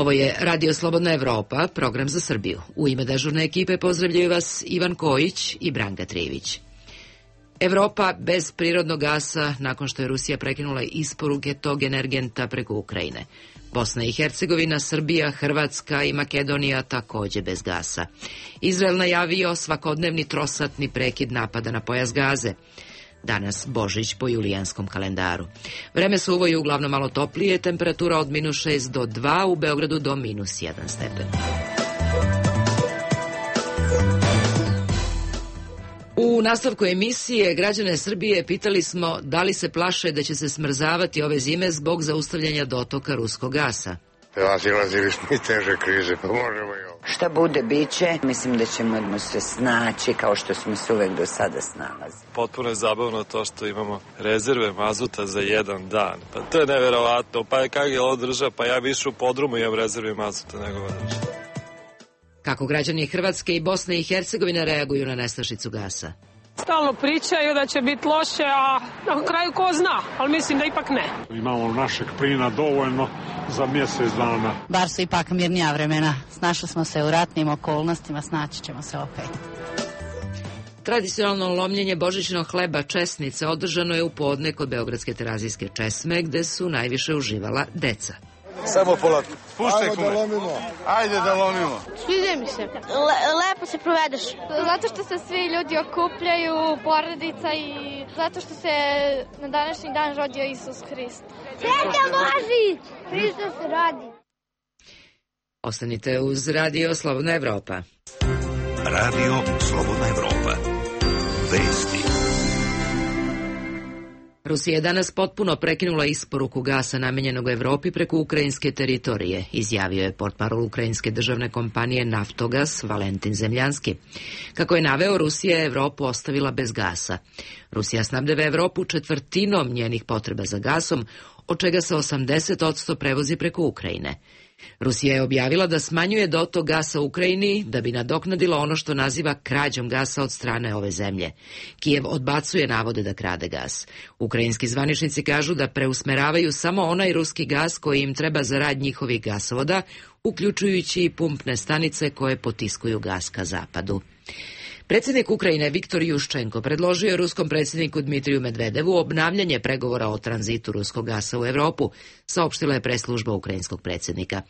Ovo je Radio Slobodna Evropa, program za Srbiju. U ime dežurne ekipe pozdravljaju vas Ivan Kojić i Branka Trivić. Evropa bez prirodnog gasa nakon što je Rusija prekinula isporuke tog energenta preko Ukrajine. Bosna i Hercegovina, Srbija, Hrvatska i Makedonija takođe bez gasa. Izrael najavio svakodnevni trosatni prekid napada na pojas Gaze. Danas Božić po julijanskom kalendaru. Vreme suvo je uglavnom malo toplije, temperatura od -6 do 2, u Beogradu do -1 stepen. U nastavku emisije građane Srbije pitali smo da li se plaše da će se smrzavati ove zime zbog zaustavljanja dotoka ruskog gasa. Silazili smo i teže krize, pa možemo i ovo. Šta bude, bit će. Mislim da ćemo se snaći kao što smo se uvek do sada snalazili. Potpuno je zabavno to što imamo rezerve mazuta za jedan dan. Pa to je neverovatno. Pa kako je ovo država? Pa ja više u podrumu imam rezerve mazuta nego ova država. Kako građani Hrvatske i Bosne i Hercegovine reaguju na nestašicu gasa? Stalno pričaju da će biti loše, a na kraju ko zna, ali mislim da ipak ne. Imamo našeg plina dovoljno za mjesec dana. Bar su ipak mirnija vremena. Snašli smo se u ratnim okolnostima, snaći ćemo se opet. Tradicionalno lomljenje božićnog hleba česnice održano je u podne kod beogradske terazijske česme, gde su najviše uživala deca. Samo polako. Puštaj kume. Ajde da lomimo. Sviđa mi se. Lepo se provedeš. Zato što se svi ljudi okupljaju, porodica i zato što se na današnji dan rodio Isus Hrist. Sreća Božić! Hristos se rodi. Ostanite uz Radio Slobodna Evropa. Radio Slobodna Evropa. Vesti. Rusija je danas potpuno prekinula isporuku gasa namenjenog Evropi preko ukrajinske teritorije, izjavio je portparol ukrajinske državne kompanije Naftogas Valentin Zemljanski. Kako je naveo, Rusija je Evropu ostavila bez gasa. Rusija snabdeva Evropu četvrtinom njenih potreba za gasom, od čega se 80% prevozi preko Ukrajine. Rusija je objavila da smanjuje dotok gasa u Ukrajini da bi nadoknadila ono što naziva krađom gasa od strane ove zemlje. Kijev odbacuje navode da krade gas. Ukrajinski zvaničnici kažu da preusmeravaju samo onaj ruski gas koji im treba za rad njihovih gasovoda, uključujući i pumpne stanice koje potiskuju gas ka zapadu. Predsjednik Ukrajine Viktor Juščenko predložio je ruskom predsjedniku Dmitriju Medvedevu obnavljanje pregovora o tranzitu ruskog gasa u Evropu, saopštila je preslužba ukrajinskog predsjednika.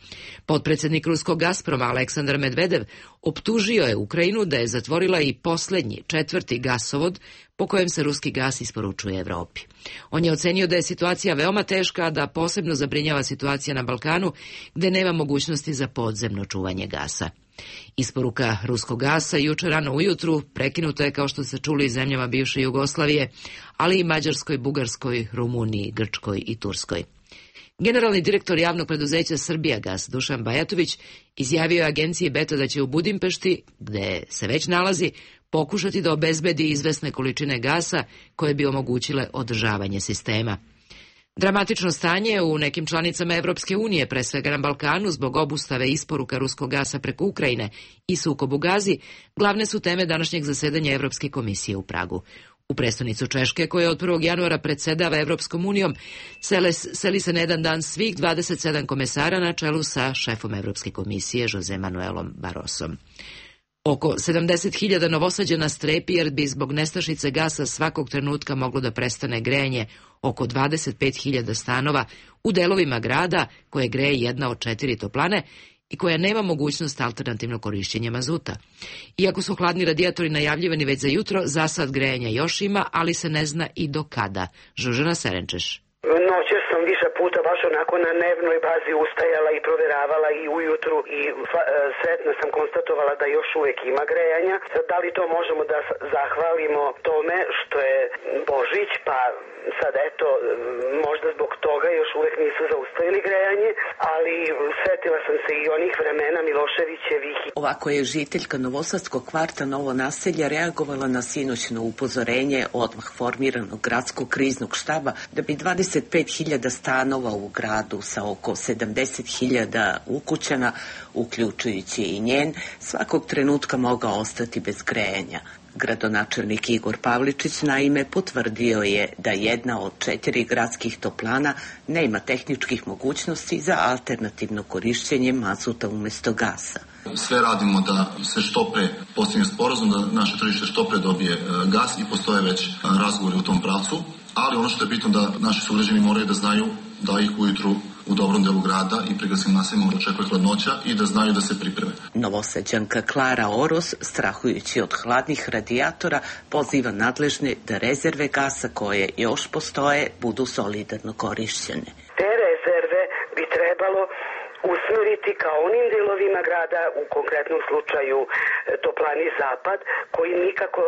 Potpredsjednik ruskog Gazproma Aleksandar Medvedev optužio je Ukrajinu da je zatvorila i posljednji, četvrti gasovod po kojem se ruski gas isporučuje Evropi. On je ocenio da je situacija veoma teška, a da posebno zabrinjava situacija na Balkanu, gde nema mogućnosti za podzemno čuvanje gasa. Isporuka ruskog gasa juče rano ujutru prekinuta je, kao što se čuli, iz zemljama bivše Jugoslavije, ali i Mađarskoj, Bugarskoj, Rumuniji, Grčkoj i Turskoj. Generalni direktor javnog preduzeća Srbijagas Dušan Bajatović izjavio je agenciji Beta da će u Budimpešti, gde se već nalazi, pokušati da obezbedi izvesne količine gasa koje bi omogućile održavanje sistema. Dramatično stanje u nekim članicama Evropske unije, pre svega na Balkanu, zbog obustave isporuka ruskog gasa preko Ukrajine i sukob u Gazi, glavne su teme današnjeg zasedanja Evropske komisije u Pragu. U prestonicu Češke, koja od 1. januara predsedava Evropskom unijom, seli se na jedan dan svih 27 komesara na čelu sa šefom Evropske komisije Jose Manuelom Barrosom. Oko 70.000 Novosađana strepi jer bi zbog nestašice gasa svakog trenutka moglo da prestane grejanje oko 25.000 stanova u delovima grada koje greje jedna od 4 toplane i koja nema mogućnost alternativnog korišćenja mazuta. Iako su hladni radijatori najavljivani već za jutro, za sad grejanja još ima, ali se ne zna i do kada. Žužana Serenčeš. Noćas sam više puta baš onako na dnevnoj bazi ustajala i proveravala i ujutru i sretno sam konstatovala da još uvek ima grejanja. Da li to možemo da zahvalimo tome što je Božić, pa sad eto, možda zbog toga još uvek nisu zaustavili grejanje, ali setila sam se i onih vremena Miloševićevih. Ovako je žiteljka Novosadskog kvarta Novo naselje reagovala na sinoćno upozorenje odmah formiranog gradskog kriznog štaba da bi 25.000 stanova u gradu sa oko 70.000 ukućana, uključujući i njen, svakog trenutka mogao ostati bez grejanja. Gradonačelnik Igor Pavličić naime potvrdio je da jedna od 4 gradskih toplana nema tehničkih mogućnosti za alternativno korišćenje mazuta umjesto gasa. Sve radimo da se što pre postigne sporazum, da naše tržište što pre dobije gas i postoje već razgovori u tom pravcu, ali ono što je bitno da naši sugrađani moraju da znaju da ih ujutru u dobrom delu grada i pregrasnim naseljima očekuje hladnoća i da znaju da se pripreme. Novosađanka Klara Oros, strahujući od hladnih radijatora, poziva nadležne da rezerve gasa koje još postoje budu solidarno korišćene. Te rezerve bi trebalo usmeriti ka onim delovima grada, u konkretnom slučaju toplani Zapad, koji nikako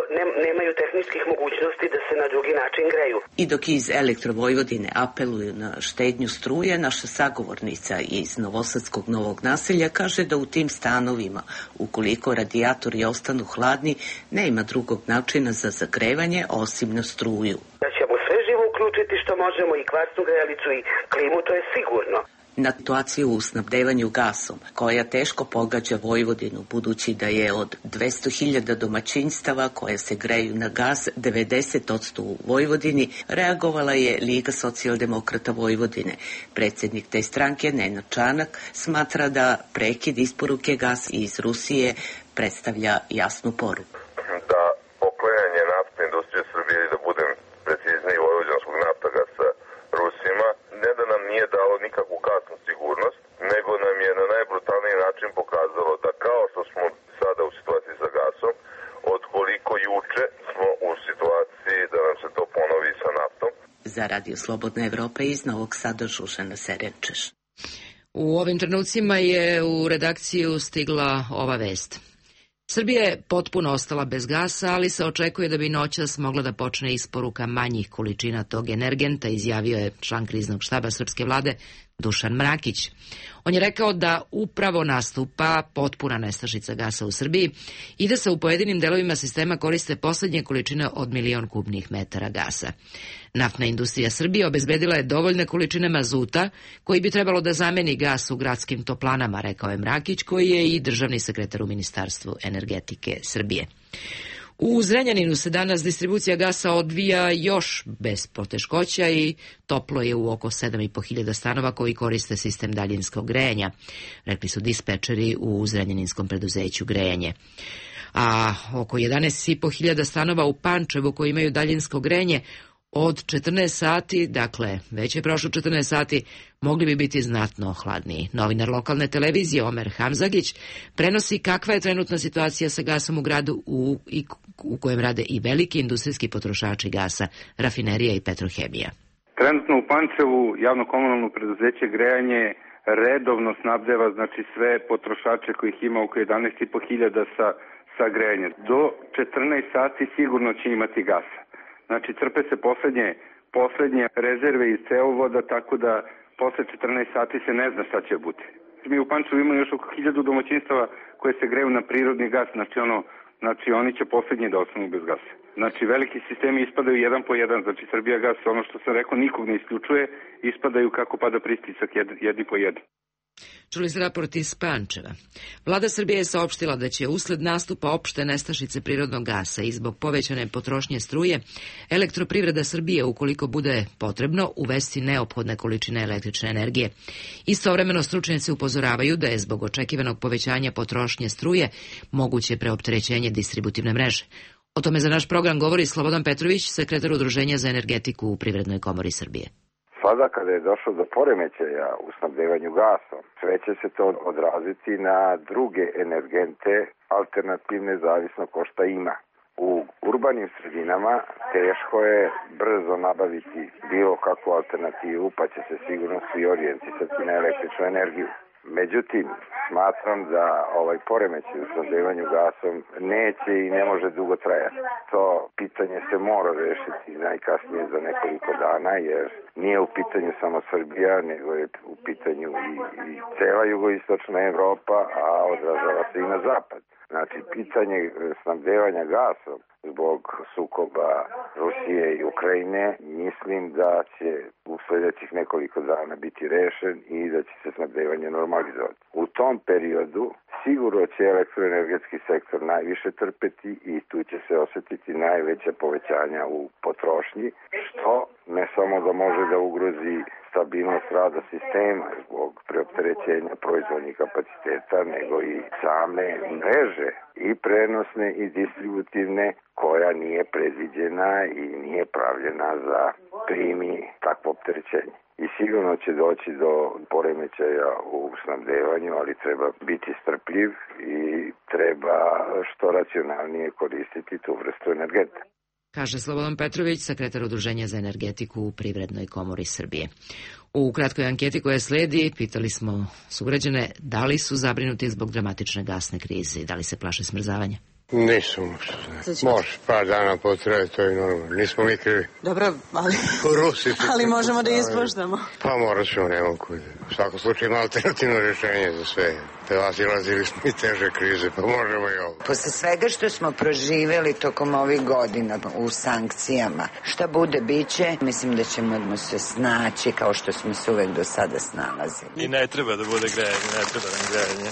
nemaju tehničkih mogućnosti da se na drugi način greju. I dok iz Elektrovojvodine apeluju na štednju struje, naša sagovornica iz novosadskog Novog Naselja kaže da u tim stanovima, ukoliko radijatori ostanu hladni, nema drugog načina za zagrevanje osim na struju. Da ćemo sve živo uključiti što možemo, i kvarsnu grejalicu i klimu, to je sigurno. Na situaciju u snabdevanju gasom, koja teško pogađa Vojvodinu, budući da je od 200.000 domaćinstava koje se greju na gas, 90% u Vojvodini, reagovala je Liga socijaldemokrata Vojvodine. Predsjednik te stranke, Nenad Čanak, smatra da prekid isporuke gasa iz Rusije predstavlja jasnu poruku. Da poklanjanje naftne industrije Srbije, da budem precizniji, vojvođanskog naftagasa Rusima, ne da nam nije dalo nikakvu gasnu sigurnost, nego nam je na najbrutalniji način pokazalo da kao što smo sada u situaciji sa gasom, od koliko juče smo u situaciji da nam se to ponovi sa naftom. Za Radio Slobodna Evropa iz Novog Sada, Žužana Serenčeš. U ovim trenucima je u redakciju stigla ova vest. Srbija je potpuno ostala bez gasa, ali se očekuje da bi noćas mogla da počne isporuka manjih količina tog energenta, izjavio je član kriznog štaba srpske vlade Dušan Mrakić. On je rekao da upravo nastupa potpuna nestašica gasa u Srbiji i da se u pojedinim delovima sistema koriste poslednje količine od 1.000.000 kubnih metara gasa. Naftna industrija Srbije obezbedila je dovoljne količine mazuta koji bi trebalo da zameni gas u gradskim toplanama, rekao je Mrakić, koji je i državni sekretar u Ministarstvu energetike Srbije. U Zrenjaninu se danas distribucija gasa odvija još bez poteškoća i toplo je u oko 7.500 stanova koji koriste sistem daljinskog grejanja, rekli su dispečeri u Zrenjaninskom preduzeću Grejanje. A oko 11.500 stanova u Pančevu koji imaju daljinsko grejanje od 14 sati, dakle već je prošlo 14 sati, mogli bi biti znatno hladniji. Novinar lokalne televizije Omer Hamzagić prenosi kakva je trenutna situacija sa gasom u gradu u kojem rade i veliki industrijski potrošači gasa, rafinerija i petrohemija. Trenutno u Pančevu javno-komunalno preduzeće Grejanje redovno snabdeva sve potrošače kojih ima oko 11.500 sa grejanjem. Do 14 sati sigurno će imati gasa. Crpe se poslednje rezerve iz cevovoda, tako da posle 14 sati se ne zna šta će biti. Mi u Pančevu imamo još oko 1000 domaćinstava koje se greju na prirodni gas, oni će poslednji da ostanu bez gasa. Veliki sistemi ispadaju jedan po jedan, Srbijagas, ono što sam rekao, nikog ne isključuje, ispadaju kako pada pristisak jedni po jedan. Čuli ste raport iz Pančeva. Vlada Srbije je saopštila da će usled nastupa opšte nestašice prirodnog gasa i zbog povećane potrošnje struje, Elektroprivreda Srbije, ukoliko bude potrebno, uvesti neophodne količine električne energije. Istovremeno stručnjaci upozoravaju da je zbog očekivanog povećanja potrošnje struje moguće preopterećenje distributivne mreže. O tome za naš program govori Slobodan Petrović, sekretar Udruženja za energetiku u Privrednoj komori Srbije. Sada kada je došlo do poremećaja u snabdevanju gasom, sve će se to odraziti na druge energente alternativne zavisno ko šta ima. U urbanim sredinama teško je brzo nabaviti bilo kakvu alternativu, pa će se sigurno svi orijentisati na električnu energiju. Međutim, smatram da ovaj poremećaj u snabdevanju gasom neće i ne može dugo trajati. To pitanje se mora rešiti najkasnije za nekoliko dana, jer nije u pitanju samo Srbija, nego je u pitanju i cela jugoistočna Evropa, a odražava se i na zapad. Pitanje snabdevanja gasom zbog sukoba Rusije i Ukrajine, mislim da će u sljedećih nekoliko dana biti rešen i da će se snabdevanje normalizovati. U tom periodu sigurno će elektroenergetski sektor najviše trpeti i tu će se osetiti najveća povećanja u potrošnji, što ne samo da može da ugrozi stabilnost rada sistema zbog preopterećenja proizvodnih kapaciteta, nego i same mreže i prenosne i distributivne koja nije predviđena i nije pravljena za primi takvo opterećenje. I sigurno će doći do poremećaja u snabdevanju, ali treba biti strpljiv i treba što racionalnije koristiti tu vrstu energenta. Kaže Slobodan Petrović, sekretar Udruženja za energetiku u Privrednoj komori Srbije. U kratkoj anketi koja sledi pitali smo sugrađane da li su zabrinuti zbog dramatične gasne krize i da li se plaše smrzavanja. Nisam uopšte. Može, par dana potraje, to je normalno. Nismo mi krivi. Dobro, ali možemo da ispuštamo. Pa morat ćemo, nemam kud. U svakom slučaju ima alternativno rješenje za sve. Prelazili smo i teže krize, pa možemo i ovo. Posle svega što smo proživjeli tokom ovih godina u sankcijama, šta bude biće, mislim da ćemo se snaći kao što smo se uvek do sada snalazili. I ne treba da bude grejanje, ne treba nam grejanje.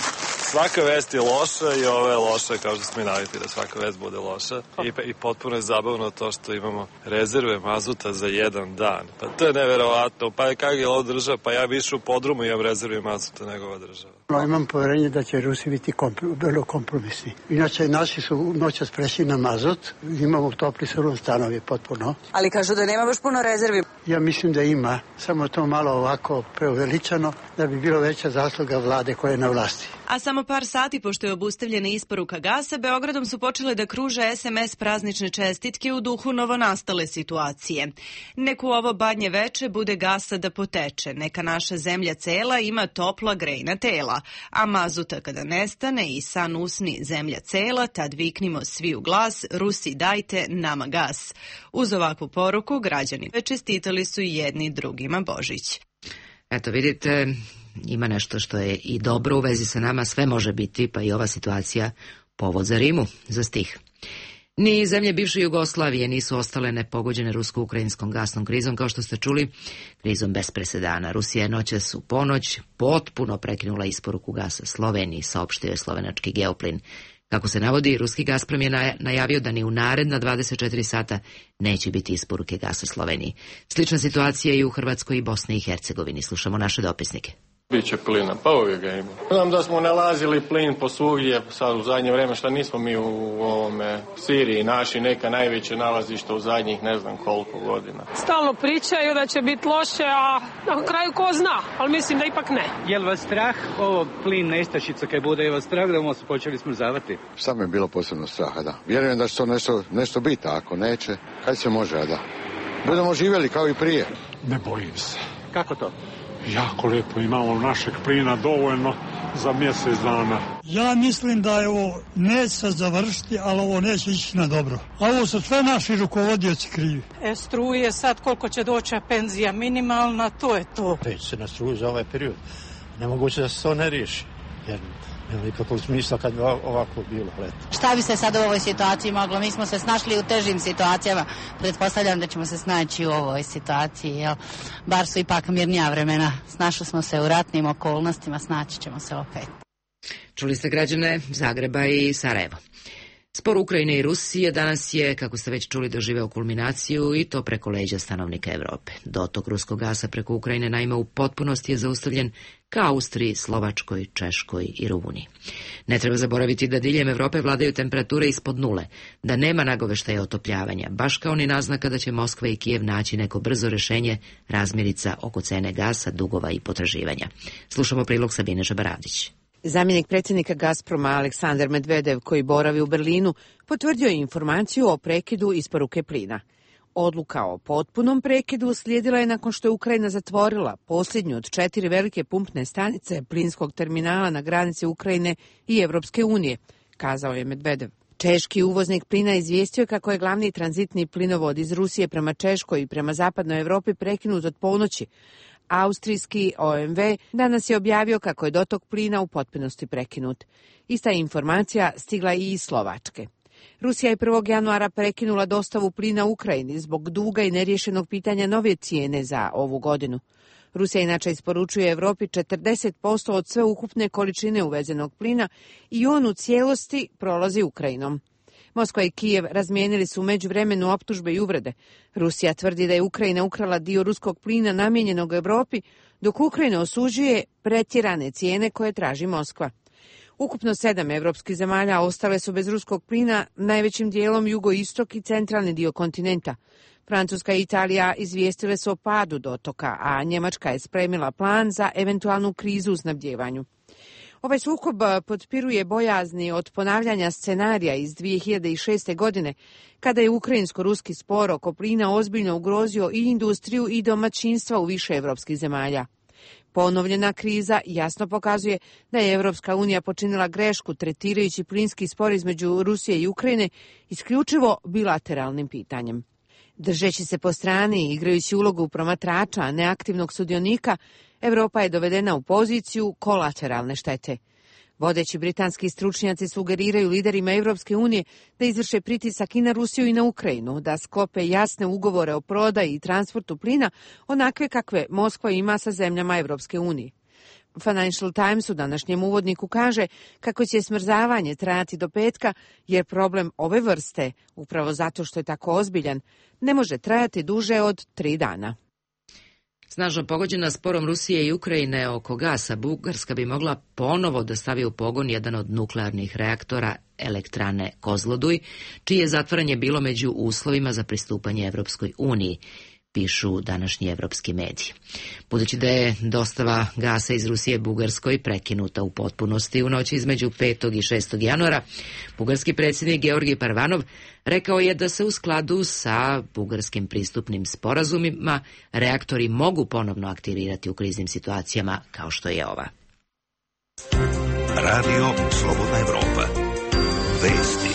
Svaka vest je loša i ova je loša, kao što smo i navikli da svaka vest bude loša. I potpuno je zabavno to što imamo rezerve mazuta za jedan dan. Pa to je neverovatno. Pa kak je ovo država? Pa ja bi išao u podrumu i imam rezerve mazuta nego ova država. Imam poverenje da će Rusi biti vrlo kompromisni. Inače, naši su noćas prešli na mazut. Imamo topli surov stanovi potpuno. Ali kažu da nema baš puno rezervi. Ja mislim da ima. Samo to malo ovako preuveličano da bi bilo veća zasluga vlade koja je na vlasti. A samo par sati pošto je obustavljena isporuka gasa, Beogradom su počele da kruže SMS praznične čestitke u duhu novonastale situacije. Neku ovo badnje veče bude gasa da poteče, neka naša zemlja cela ima topla grejna tela, a mazuta kada nestane i san usni zemlja cela, tad viknimo svi u glas, Rusi dajte nama gas. Uz ovakvu poruku građani čestitali su jedni drugima Božić. Eto vidite, ima nešto što je i dobro u vezi sa nama, sve može biti, pa i ova situacija povod za rimu, za stih. Ni zemlje bivše Jugoslavije nisu ostale nepogođene rusko-ukrajinskom gasnom krizom, kao što ste čuli, krizom bez presedana. Rusija je noćas u ponoć potpuno prekinula isporuku gasa Sloveniji, saopštio je slovenački Geoplin. Kako se navodi, ruski Gazprom je najavio da ni u naredna 24 sata neće biti isporuke gasa Sloveniji. Slična situacija je i u Hrvatskoj i Bosni i Hercegovini. Slušamo naše dopisnike. Biće plina, pa uvijek ga ima. Znam da smo nalazili plin po svugdje, sad u zadnje vreme, šta nismo mi u ovome Siriji naši neka najveće nalazišta u zadnjih ne znam koliko godina. Stalno pričaju da će biti loše, a na kraju ko zna, ali mislim da ipak ne. Je li vas strah ovo plin nestašica kad bude, je vas strah da vam se počeli smrzavati? Samo je bilo posebno straha, da. Vjerujem da će to nešto biti, a ako neće, kad se može, a da. Budemo živjeli kao i prije. Ne bojim se. Kako to? Jako lijepo, imamo našeg plina dovoljno za mjesec dana. Ja mislim da je ovo neće se završiti, ali ovo neće ići na dobro. A ovo su sve naši rukovodioci krivi. Struje sad koliko će doći penzija minimalna, to je to. Već se na struju za ovaj period. Nemoguće da se to ne riješi. Jer nema nikakvog smisla kad bi ovako bilo leto. Šta bi se sad u ovoj situaciji moglo? Mi smo se snašli u težim situacijama. Pretpostavljam da ćemo se snaći u ovoj situaciji. Jel? Bar su ipak mirnija vremena. Snašli smo se u ratnim okolnostima, snaći ćemo se opet. Čuli ste građane Zagreba i Sarajevo. Spor Ukrajine i Rusije danas je, kako ste već čuli, doživeo kulminaciju i to preko leđa stanovnika Evrope. Dotok ruskog gasa preko Ukrajine naime u potpunosti je zaustavljen ka Austriji, Slovačkoj, Češkoj i Rumuniji. Ne treba zaboraviti da diljem Evrope vladaju temperature ispod nule, da nema nagoveštaja otopljavanja, baš kao ni naznaka da će Moskva i Kijev naći neko brzo rešenje razmirica oko cene gasa, dugova i potraživanja. Slušamo prilog Sabine Žabaravdić. Zamjenik predsjednika Gazproma Aleksandar Medvedev, koji boravi u Berlinu, potvrdio je informaciju o prekidu isporuke plina. Odluka o potpunom prekidu uslijedila je nakon što je Ukrajina zatvorila posljednju od 4 velike pumpne stanice plinskog terminala na granici Ukrajine i Evropske unije, kazao je Medvedev. Češki uvoznik plina izvijestio kako je glavni tranzitni plinovod iz Rusije prema Češkoj i prema zapadnoj Evropi prekinut od ponoći. Austrijski OMV danas je objavio kako je dotok plina u potpunosti prekinut. Ista informacija stigla i iz Slovačke. Rusija je 1. januara prekinula dostavu plina Ukrajini zbog duga i neriješenog pitanja nove cijene za ovu godinu. Rusija inače isporučuje Evropi 40% od sve ukupne količine uvezenog plina i on u cijelosti prolazi Ukrajinom. Moskva i Kijev razmijenili su u međuvremenu optužbe i uvrede. Rusija tvrdi da je Ukrajina ukrala dio ruskog plina namijenjenog Evropi, dok Ukrajina osuđuje pretjerane cijene koje traži Moskva. Ukupno 7 evropskih zemalja ostale su bez ruskog plina, najvećim dijelom jugoistok i centralni dio kontinenta. Francuska i Italija izvijestile su o padu dotoka, a Njemačka je spremila plan za eventualnu krizu u snabdjevanju. Ovaj sukob potpiruje bojazni od ponavljanja scenarija iz 2006. godine, kada je ukrajinsko-ruski spor oko plina ozbiljno ugrozio i industriju i domaćinstva u više evropskih zemalja. Ponovljena kriza jasno pokazuje da je Evropska unija počinila grešku tretirajući plinski spor između Rusije i Ukrajine isključivo bilateralnim pitanjem. Držeći se po strani i igrajući ulogu promatrača, a ne aktivnog sudionika, Evropa je dovedena u poziciju kolateralne štete. Vodeći britanski stručnjaci sugeriraju liderima Evropske unije da izvrše pritisak i na Rusiju i na Ukrajinu, da sklope jasne ugovore o prodaji i transportu plina, onakve kakve Moskva ima sa zemljama Evropske unije. Financial Times u današnjem uvodniku kaže kako će smrzavanje trajati do petka, jer problem ove vrste, upravo zato što je tako ozbiljan, ne može trajati duže od 3 dana. Snažno pogođena sporom Rusije i Ukrajine oko gasa, Bugarska bi mogla ponovo da stavi u pogon jedan od nuklearnih reaktora elektrane Kozloduj, čije zatvaranje bilo među uslovima za pristupanje Evropskoj uniji, pišu današnji evropski mediji. Budući da je dostava gasa iz Rusije Bugarskoj prekinuta u potpunosti u noći između 5. i 6. januara, bugarski predsjednik Georgi Parvanov rekao je da se u skladu sa bugarskim pristupnim sporazumima reaktori mogu ponovno aktivirati u kriznim situacijama kao što je ova. Radio Slobodna Evropa. Vesti.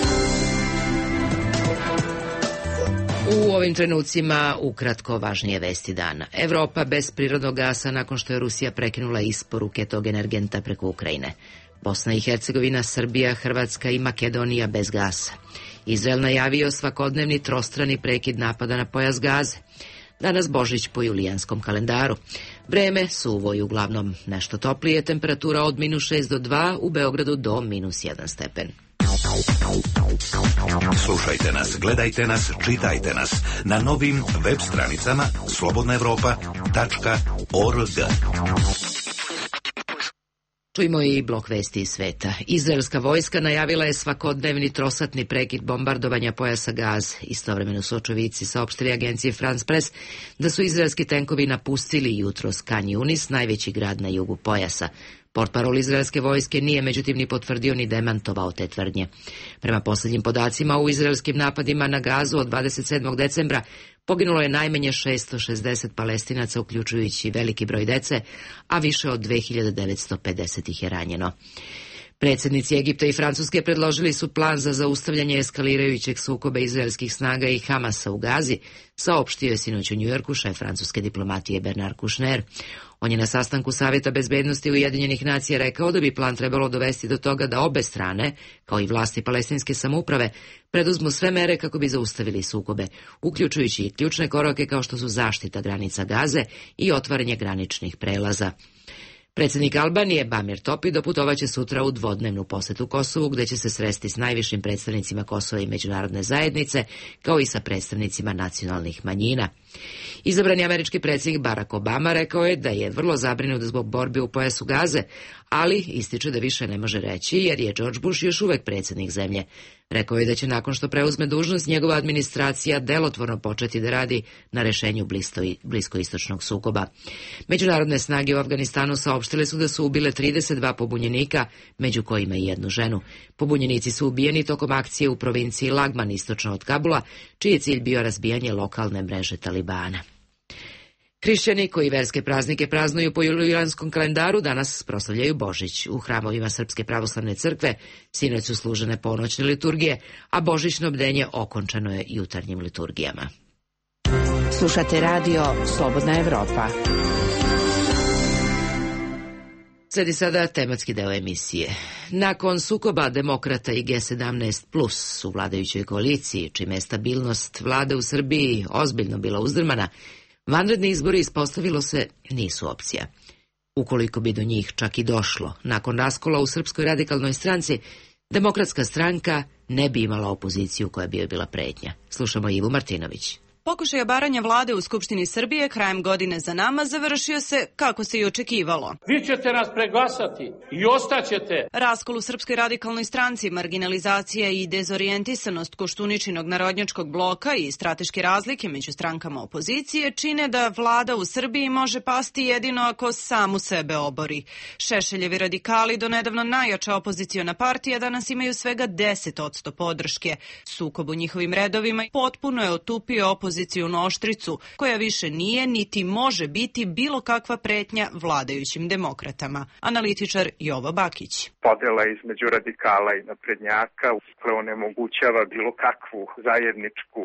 U ovim trenucima ukratko važnije vesti dana. Evropa bez prirodnog gasa nakon što je Rusija prekinula isporuke tog energenta preko Ukrajine. Bosna i Hercegovina, Srbija, Hrvatska i Makedonija bez gasa. Izrael najavio svakodnevni trostrani prekid napada na pojas Gaze. Danas Božić po julijanskom kalendaru. Vreme suvo i uglavnom nešto toplije, temperatura od -6 do 2, u Beogradu do -1 stepen. Slušajte nas, gledajte nas, čitajte nas na novim web stranicama slobodnaevropa.org. Čujmo i blok vesti iz sveta. Izraelska vojska najavila je svakodnevni trosatni prekid bombardovanja pojasa Gaze. Istovremeno su očevici saopštili agenciji France Press da su izraelski tenkovi napustili jutros Khan Yunis, najveći grad na jugu pojasa. Portparol izraelske vojske nije međutim ni potvrdio ni demantovao te tvrdnje. Prema posljednjim podacima, u izraelskim napadima na Gazu od 27. decembra poginulo je najmanje 660 Palestinaca, uključujući veliki broj dece, a više od 2950 ih je ranjeno. Predsjednici Egipta i Francuske predložili su plan za zaustavljanje eskalirajućeg sukoba izraelskih snaga i Hamasa u Gazi, saopštio je sinoć u Njujorku šef francuske diplomatije Bernard Kouchner. On je na sastanku Savjeta bezbednosti Ujedinjenih nacija rekao da bi plan trebalo dovesti do toga da obe strane, kao i vlasti palestinske samouprave, preduzmu sve mere kako bi zaustavili sukobe, uključujući i ključne korake kao što su zaštita granica Gaze i otvaranje graničnih prelaza. Predsjednik Albanije Bamir Topi doputovaće sutra u dvodnevnu posjetu Kosovu, gdje će se sresti s najvišim predstavnicima Kosova i međunarodne zajednice, kao i sa predstavnicima nacionalnih manjina. Izabrani američki predsjednik Barack Obama rekao je da je vrlo zabrinut zbog borbe u pojasu Gaze, ali ističe da više ne može reći jer je George Bush još uvek predsjednik zemlje. Rekao je da će nakon što preuzme dužnost njegova administracija delotvorno početi da radi na rešenju bliskoistočnog sukoba. Međunarodne snage u Afganistanu saopštile su da su ubile 32 pobunjenika, među kojima i jednu ženu. Pobunjenici su ubijeni tokom akcije u provinciji Lagman istočno od Kabula, čiji je cilj bio razbijanje lokalne mreže Talibana. Hrišćani koji verske praznike praznuju po julijanskom kalendaru danas proslavljaju Božić. U hramovima Srpske pravoslavne crkve sinoć su služene ponoćne liturgije, a božićno bdenje okončano je jutarnjim liturgijama. Slušate radio Slobodna Evropa. Sledi sada tematski deo emisije. Nakon sukoba demokrata i G17+ u vladajućoj koaliciji, čime je stabilnost vlade u Srbiji ozbiljno bila uzdrmana, Vanredni izbori, ispostavilo se, nisu opcija. Ukoliko bi do njih čak i došlo, nakon raskola u Srpskoj radikalnoj stranci, Demokratska stranka ne bi imala opoziciju koja bi joj bila pretnja. Slušamo Ivu Martinović. Pokušaj obaranja vlade u Skupštini Srbije krajem godine za nama završio se kako se i očekivalo. Vi ćete nas preglasati i ostaćete. Raskol u Srpskoj radikalnoj stranci, marginalizacija i dezorijentisanost Koštuničinog narodnjačkog bloka i strateške razlike među strankama opozicije čine da vlada u Srbiji može pasti jedino ako samu sebe obori. Šešeljevi radikali, donedavno najjača opoziciona partija, danas imaju svega 10% podrške. Sukob u njihovim redovima potpuno je otupio opoziciju oštricu, koja više nije niti može biti bilo kakva pretnja vladajućim demokratama. Analitičar Jovo Bakić. Podela između radikala i naprednjaka onemogućava bilo kakvu zajedničku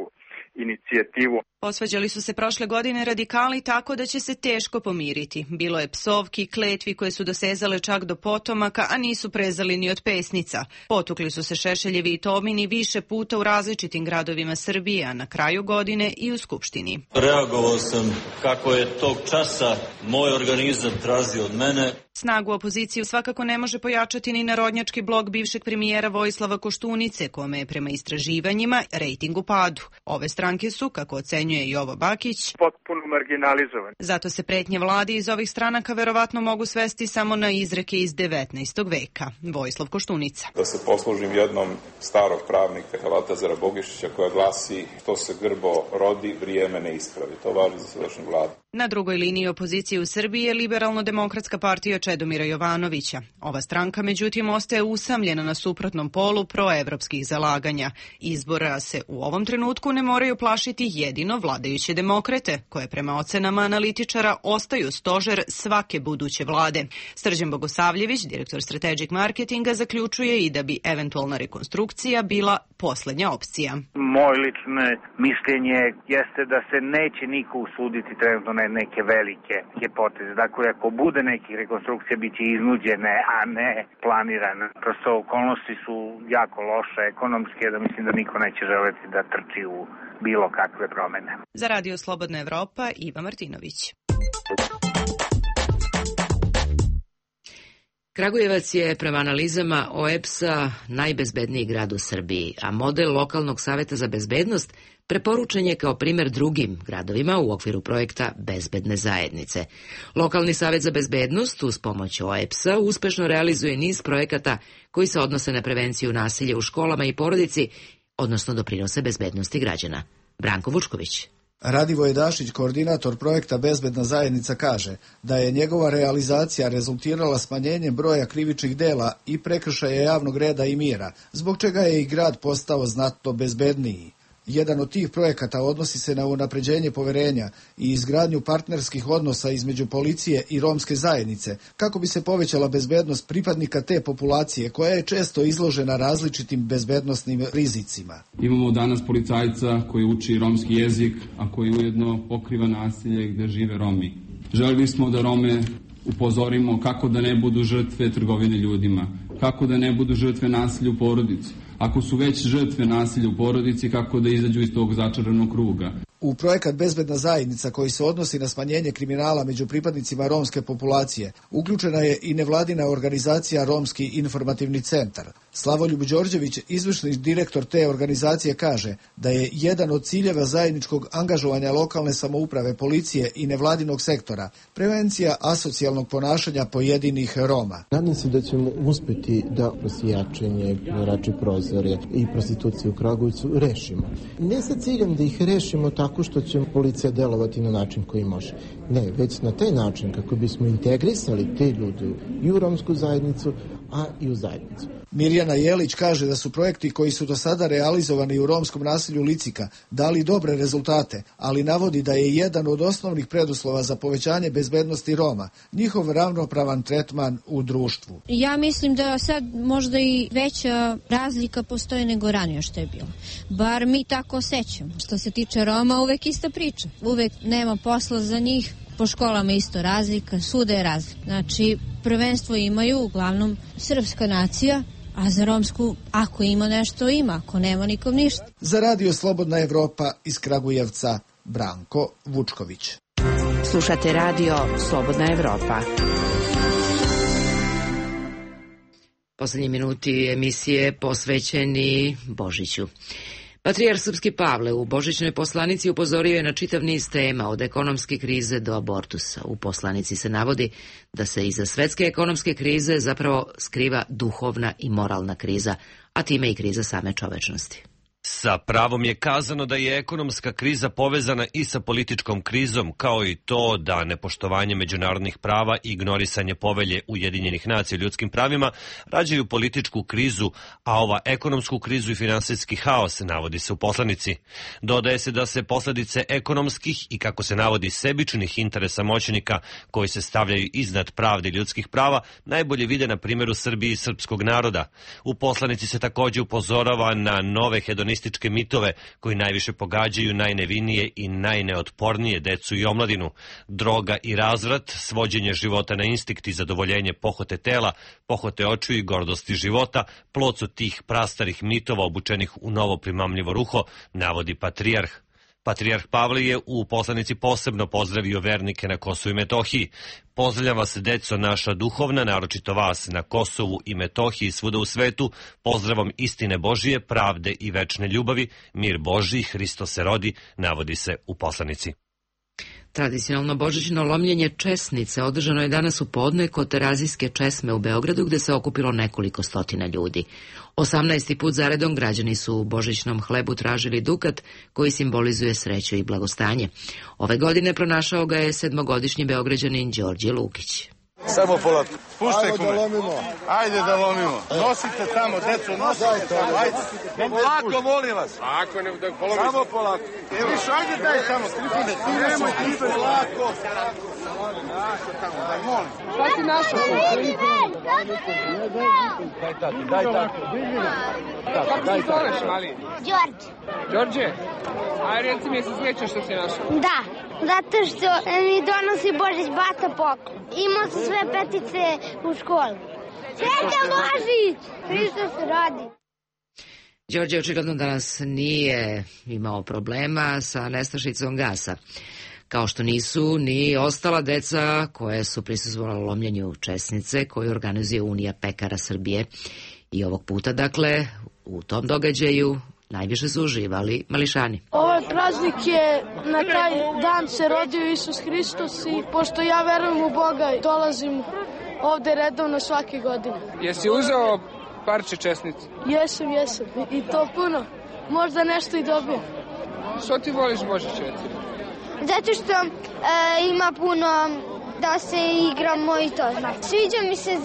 inicijativu. Posvađali su se prošle godine radikali tako da će se teško pomiriti. Bilo je psovki, kletvi koje su dosezale čak do potomaka, a nisu prezali ni od pesnica. Potukli su se Šešeljevi i Tomini više puta u različitim gradovima Srbije, a na kraju godine i u Skupštini. Reagovao sam kako je tog časa moj organizam tražio od mene. Snagu opoziciju svakako ne može pojačati ni narodnjački blok bivšeg premijera Vojislava Koštunice, kome je prema istraživanjima rejting u padu. Ove stranke su, kako ocenjuje Jovo Bakić, potpuno marginalizovane. Zato se pretnje vladi iz ovih stranaka verovatno mogu svesti samo na izreke iz 19. veka. Vojislav Koštunica. Da se poslužim jednom starog pravnika Lazara Bogišića koja glasi: što se grbo rodi, vrijeme ne ispravi. To važi za sadašnju vladu. Na drugoj liniji opozicije u Srbiji je Liberalno-demokratska partija Čedomira Jovanovića. Ova stranka, međutim, ostaje usamljena na suprotnom polu proevropskih zalaganja. Izbora se u ovom trenutku ne moraju plašiti jedino vladajuće demokrate, koje prema ocenama analitičara ostaju stožer svake buduće vlade. Srđan Bogosavljević, direktor strategic marketinga, zaključuje i da bi eventualna rekonstrukcija bila poslednja opcija. Moje lično mišljenje jeste da se neće niko usuditi trenutno na neke velike poteze. Dakle, ako bude nekih rekonstrukcija, bit će iznuđene, a ne planirane. Prosto okolnosti su jako loše ekonomske, da mislim da niko neće želeti da trči u bilo kakve promene. Za Radio Slobodna Evropa, Iva Martinović. Kragujevac je prema analizama OEBS-a najbezbedniji grad u Srbiji, a model lokalnog saveta za bezbednost preporučen je kao primer drugim gradovima u okviru projekta Bezbedne zajednice. Lokalni savet za bezbednost uz pomoć OEBS-a uspešno realizuje niz projekata koji se odnose na prevenciju nasilja u školama i porodici, odnosno doprinose bezbednosti građana. Branko Vučković. Radivoje Dašić, koordinator projekta Bezbedna zajednica, kaže da je njegova realizacija rezultirala smanjenjem broja krivičnih dela i prekršaja javnog reda i mira, zbog čega je i grad postao znatno bezbedniji. Jedan od tih projekata odnosi se na unapređenje poverenja i izgradnju partnerskih odnosa između policije i romske zajednice, kako bi se povećala bezbednost pripadnika te populacije koja je često izložena različitim bezbednosnim rizicima. Imamo danas policajca koji uči romski jezik, a koji ujedno pokriva nasilje gde žive Romi. Želeli smo da Rome upozorimo kako da ne budu žrtve trgovine ljudima, kako da ne budu žrtve nasilja u porodici. Ako su već žrtve nasilja u porodici, kako da izađu iz tog začaranog kruga. U projekat Bezbedna zajednica, koji se odnosi na smanjenje kriminala među pripadnicima romske populacije, uključena je i nevladina organizacija Romski informativni centar. Slavoljub Đorđević, izvršni direktor te organizacije, kaže da je jedan od ciljeva zajedničkog angažovanja lokalne samouprave, policije i nevladinog sektora prevencija asocijalnog ponašanja pojedinih Roma. Nadam se da ćemo uspeti da prosijačenje, rači prozore i prostituciju u Kragujevcu rešimo. Ne sa ciljem da ih rešimo tako što će policija delovati na način koji može. Ne, već na taj način kako bismo integrisali te ljude i u romsku zajednicu, a i u zajednicu. Mirjana Jelić kaže da su projekti koji su do sada realizovani u romskom naselju Licika dali dobre rezultate, ali navodi da je jedan od osnovnih preduslova za povećanje bezbednosti Roma njihov ravnopravan tretman u društvu. Ja mislim da sad možda i veća razlika postoji nego ranije što je bilo. Bar mi tako osjećamo. Što se tiče Roma, uvek ista priča. Uvek nema posla za njih. Po školama isto razlika, svuda je razlika. Znači, prvenstvo imaju uglavnom srpska nacija, a za romsku, ako ima nešto, ima, ako nema, nikom ništa. Za Radio Slobodna Evropa iz Kragujevca, Branko Vučković. Slušate radio Slobodna Evropa. Poslednji minuti emisije posvećeni Božiću. Patrijarh Srpski Pavle u božićnoj poslanici upozorio je na čitav niz tema, od ekonomske krize do abortusa. U poslanici se navodi da se iza svetske ekonomske krize zapravo skriva duhovna i moralna kriza, a time i kriza same čovečnosti. Sa pravom je kazano da je ekonomska kriza povezana i sa političkom krizom, kao i to da nepoštovanje međunarodnih prava i ignorisanje povelje Ujedinjenih nacija o ljudskim pravima rađaju političku krizu, a ova ekonomsku krizu i finansijski haos navodi se u poslanici. Dodaje se da se posledice ekonomskih i, kako se navodi, sebičnih interesa moćnika koji se stavljaju iznad pravde i ljudskih prava najbolje vide na primjeru Srbije i srpskog naroda. U poslanici se takođe upozorava na nove hedonističke mitove koji najviše pogađaju najnevinije i najneotpornije decu i omladinu. Droga i razvrat, svođenje života na instinkt i zadovoljenje pohote tela, pohote očiju i gordosti života, plod su tih prastarih mitova obučenih u novo primamljivo ruho, navodi patrijarh. Patrijarh Pavle je u poslanici posebno pozdravio vernike na Kosovu i Metohiji. Pozdravljam vas, deco naša duhovna, naročito vas na Kosovu i Metohiji i svuda u svetu. Pozdravom istine Božije, pravde i večne ljubavi, mir Božji, Hristo se rodi, navodi se u poslanici. Tradicionalno božićno lomljenje česnice održano je danas u podne kod Terazijske česme u Beogradu, gde se okupilo nekoliko stotina ljudi. 18. put zaredom građani su u božićnom hlebu tražili dukat koji simbolizuje sreću i blagostanje. Ove godine pronašao ga je 7-godišnji Beograđanin Đorđe Lukić. Samo polako. Puštaj kume. Ajde da lomimo. Nosite tamo, deco, nosite tamo. Ajde. Polako, molim vas. Ako ne, da polomi. Samo polako. Viš, ajde daj tamo, Trifune. Nemoj, Trifune. Polako. Daj, molim. Šta si našao? Daj tako, daj tako. Kako se zoveš, mali? Đorđe. Đorđe? Ajde, reci mi, jesi srećan što si našao? Da, zato što mi donosi Božić bata poklon. Imao su sve petice u školi. Srećan Božić! Hristo se rodi. Đorđe očigledno danas nije imao problema sa nestašicom gasa, kao što nisu ni ostala deca koje su prisustvovala lomljenju česnice koju organizuje Unija pekara Srbije. I ovog puta, dakle, u tom događaju najviše su uživali mališani. Ovaj praznik je, na taj dan se rodio Isus Hristos i pošto ja verujem u Boga, dolazim ovde redovno svake godine. Jesi uzeo parče česnice? Jesam i to puno. Možda nešto i dobijem. Što ti voliš Božić, recimo? Zato što ima puno da se igramo i to znači. Sviđa mi se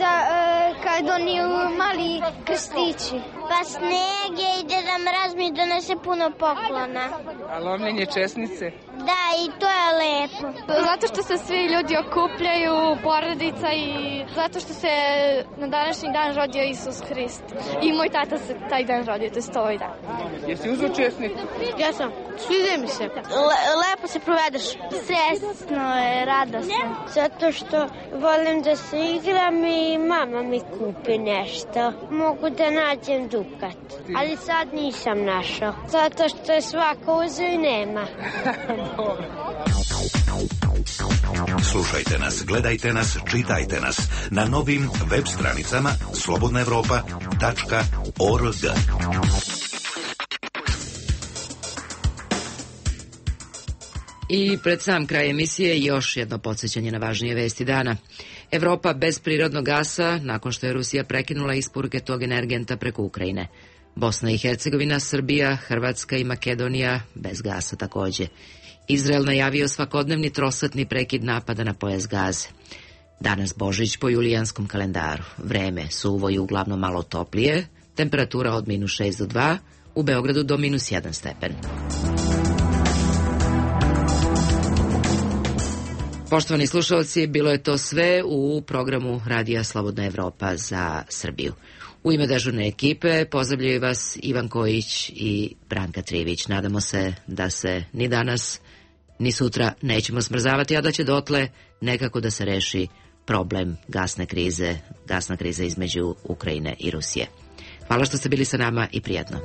kad oni mali krstići. Pa sneg je i Deda Mraz mi donese puno poklona. A lomljenje česnice? Da, i to je lepo. Zato što se svi ljudi okupljaju, porodica i zato što se na današnji dan rodio Isus Hrist. I moj tata se taj dan rodio, to je ovaj dan. Jesi uzeo česnicu? Ja sam. Sviđa mi se. Lepo se provedeš. Sresno je, radosno. Zato što volim da se igram i mama mi kupi nešto. Mogu da nađem dukat. Ali sad nisam našao. Zato što je svako uzeo i nema. Slušajte nas, gledajte nas, čitajte nas na novim web stranicama slobodnaevropa.org. I pred sam kraj emisije još jedno podsjećanje na važnije vesti dana. Evropa bez prirodnog gasa nakon što je Rusija prekinula isporuke tog energenta preko Ukrajine. Bosna i Hercegovina, Srbija, Hrvatska i Makedonija bez gasa takođe. Izrael najavio svakodnevni trosatni prekid napada na pojas Gaze. Danas Božić po julijanskom kalendaru. Vreme suvo i uglavnom malo toplije, temperatura od -6 do 2, u Beogradu do -1 stepen. Poštovani slušalci, bilo je to sve u programu Radija Slobodna Evropa za Srbiju. U ime dežurne ekipe pozdravljaju vas Ivan Kojić i Branka Trivić. Nadamo se da se ni danas ni sutra nećemo smrzavati, a da će dotle nekako da se reši problem gasna kriza između Ukrajine i Rusije. Hvala što ste bili sa nama i prijatno.